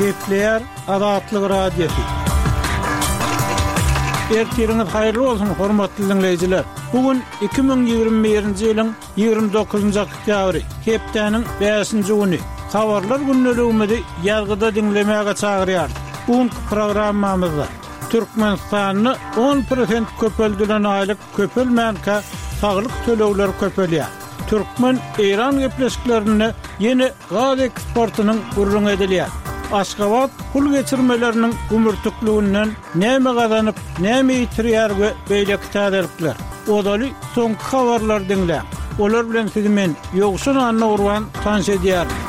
Gepleýär Azatlyk Radiosy. Ertiriňiz haýyrly bolsun, hormatly diňleýjiler! Bu gün 2021-nji ýylyň 29-njy oktýabry, hepdäniň bäşinji güni. Habarlar gündeligimizi ýazgyda diňlemäge çagyrýarys. Bu günki programmamyzda Türkmenistanda on prosent köpeldilen aýlyk köpelmänkä saglyk tölegleri köpelýär. Türkmen, Eýran gepleşiklerinde ýene gaz eksportynyň gürrüňi edilýär. Aşgabat pul geçirmeleriniň gümürtikliginden näme gazanyp, näme ýitirýär we beýleki täzelikler. Ozaly soňky habarlary diňläň. Olar bilen sizi men, Ýowşan Annagurban tanyş edýärin.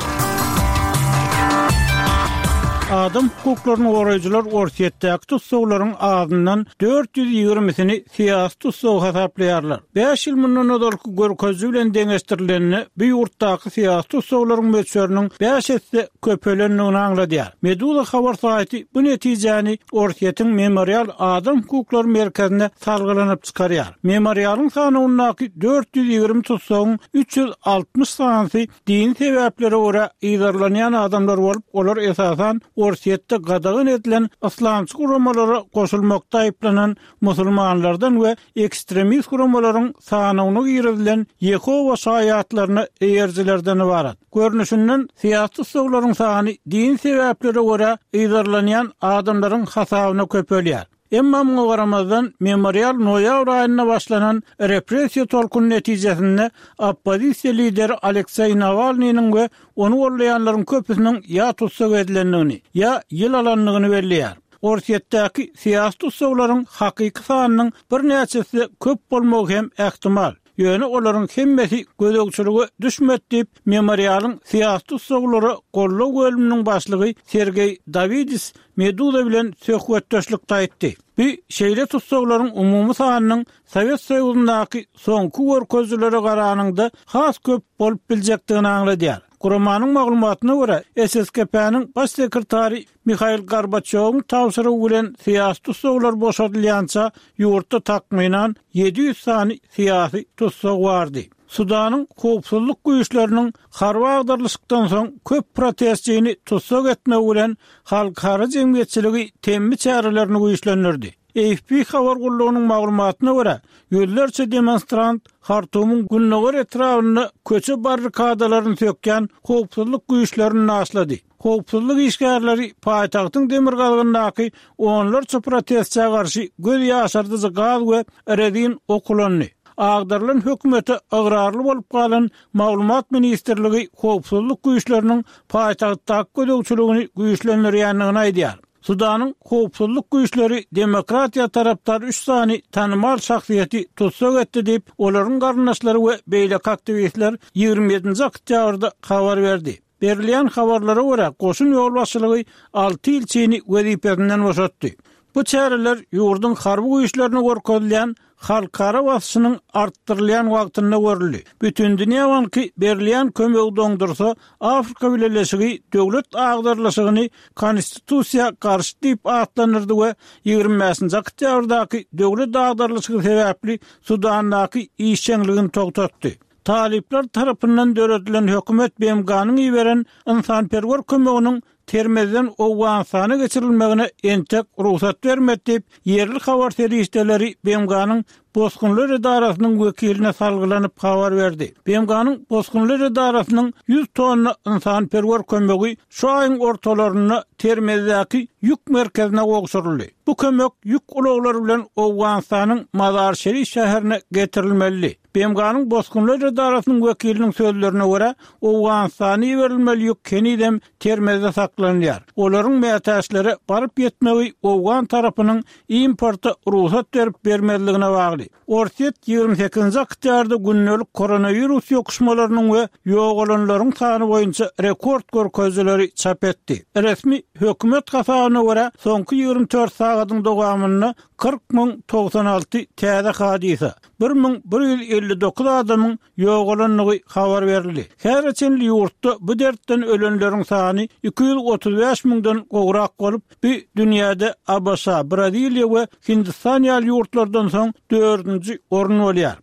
Adam hukuklaryny goraýjylar Orsýetdäki tussaglaryň azyndan 420-sini syýasy tussag hasaplaýarlar. Bäş ýyl mundan ozalky görkeziji bilen deňeşdirilende, bu ýurtdaky syýasy tussaglaryň möçberiniň bäş esse köpelendigini aňladýar. Meduza habar saýty bu netijäni Orsýetiň Memorial adam hukuklary merkezine salgylanyp çykarýar. Memorialyň sanawyndaky 420 tussagyň 360 sanysy dini sebäplere görä yzarlanýan adamlar bolup, olar esasan Orsýetde gadagan edilen yslamçy guramalara goşulmakda aýyplanan musulmanlardan we ekstremist guramalaryň sanawyna girizilen Ýehowa şaýatlaryna eýerijilerden ybarat. Görnüşinden, syýasy tussaglaryň sany dini sebäplere görä yzarlanýan adamlaryň hasabyna köpelýär. Emma muňa garamazdan, Memorial noýabr aýynda başlanan repressiýa tolkuny netijesinde oppozisiýa lideri Alekseý Nawalnynyň we ony goldaýanlaryň köpüsiniň ýa tussag edilendigini, ýa ýyl alandygyny belleýär. Orsýetdäki syýasy tussaglaryň hakyky sanynyň birnäçesi köp bolmagy hem ähtimal. Ýöne olaryň hemmesi gözegçilige düşmedi diýip, Memorialyň syýasy tussaglara goldaw bölüminiň başlygy Sergeý Dawidis Meduza bilen söhbetdeşlikde aýtdy. Bu şeýle tussaglaryň umumy sanynyň Sowet Soýuzyndaky soňky görkezijilere garanyňda has köp bolup biljekdigini aňladýar. Guramanyň maglumatyna görä, SSKP-niň baş sekretary Mihail Gorbaçýowyň tabşyrygy bilen syýasy tussaglar boşadylýança ýurtda takmynan 700 sany syýasy tussag bardy. Sudanyň howpsuzlyk güýçleriniň harby agdarylyşykdan soň köp protestçini tussag etmegi bilen halkara jemgyýetçiligi temmi çärelerini güýçlendirdi. AFP habar gullugynyň maglumatyna görä, ýüzlerçe demonstrant Hartumyň gündogar etrabynda köçe barrikadalaryny sökýän howpsuzlyk güýçlerini daşlady. Howpsuzlyk işgärleri paýtagtyň demirgazygyndaky onlarça protestçä garşy göz ýaşardyjy gaz we rezin ok ulandy. Agdarylan hökümete ygrarly bolup galan Maglumat ministrligi howpsuzlyk güýçleriniň paýtagtdaky gözegçiligini güýçlendirýändigini aýdýar. Sudanyň howpsuzlyk güýçleri demokratiýa tarapdar üç sany tanymal şahsyýeti tussag etdi diýip, olaryň garyndaşlary we beýleki aktiwistler 27-nji oktýabrda habar berdi. Berilýän habarlara görä, goşun ýolbaşçylygy alty ilçini wezipesinden boşatdy. Bu çäreler ýurduň harby güýçlerine görkezilýän halkara basyşynyň artdyrylýan wagtynda görüldi. Bütindünýä banky berilýän kömegi doňdursa, Afrika Bileleşigi döwlet agdarylyşygyny konstitusiýa garşy diýip atlandyrdy we 25-nji oktýabrdaky döwlet agdarylyşygy sebäpli Sudandaky işjeňligini togtatdy. Talyplar tarapyndan döredilen hökümet BMG-niň iberen ynsanperwer kömeginiň Termezden Owganystana geçirilmegine entek rugsat bermedi diýip, ýerli habar serişdeleri BMG-niň Bosgunlar edarasynyň wekiline salgylanyp habar berdi. BMG-niň Bosgunlar edarasynyň 100 tonna ynsanperwer kömegi şu aýyň ortalarynda Termezdäki ýük merkezine gowşuryldy. Bu kömek ýük ulaglary bilen Owganystanyň Mazar-Şerif şäherine getirilmelidi. BMG-niň Bosgunlar edarasynyň wekiliniň sözlerine görä, Owganystana iberilmeli ýük henizem Termezde saklanylýar. Olaryň mätäçlere baryp ýetmegi owgan tarapynyň importa rugsat berip-bermezligine bagly. Orsýet 28-nji oktýarda gündelik koronawirus ýokuşmalarynyň we ýogalanlaryň sany boýunça rekord görkezijileri çap etdi. Resmi hökümet hasabyna görä, soňky 24 sagadyň dowamynda 40 096 täze hadysa, 1159 adamyň ýogalandygy habar berildi. Häzire çenli ýurtda bu dertden ölenleriň sany 235 müňden gowrak bolup, bu dünýäde ABŞ, Braziliýa we Hindistan ýaly ýurtlardan soň dördünji orun bolýar.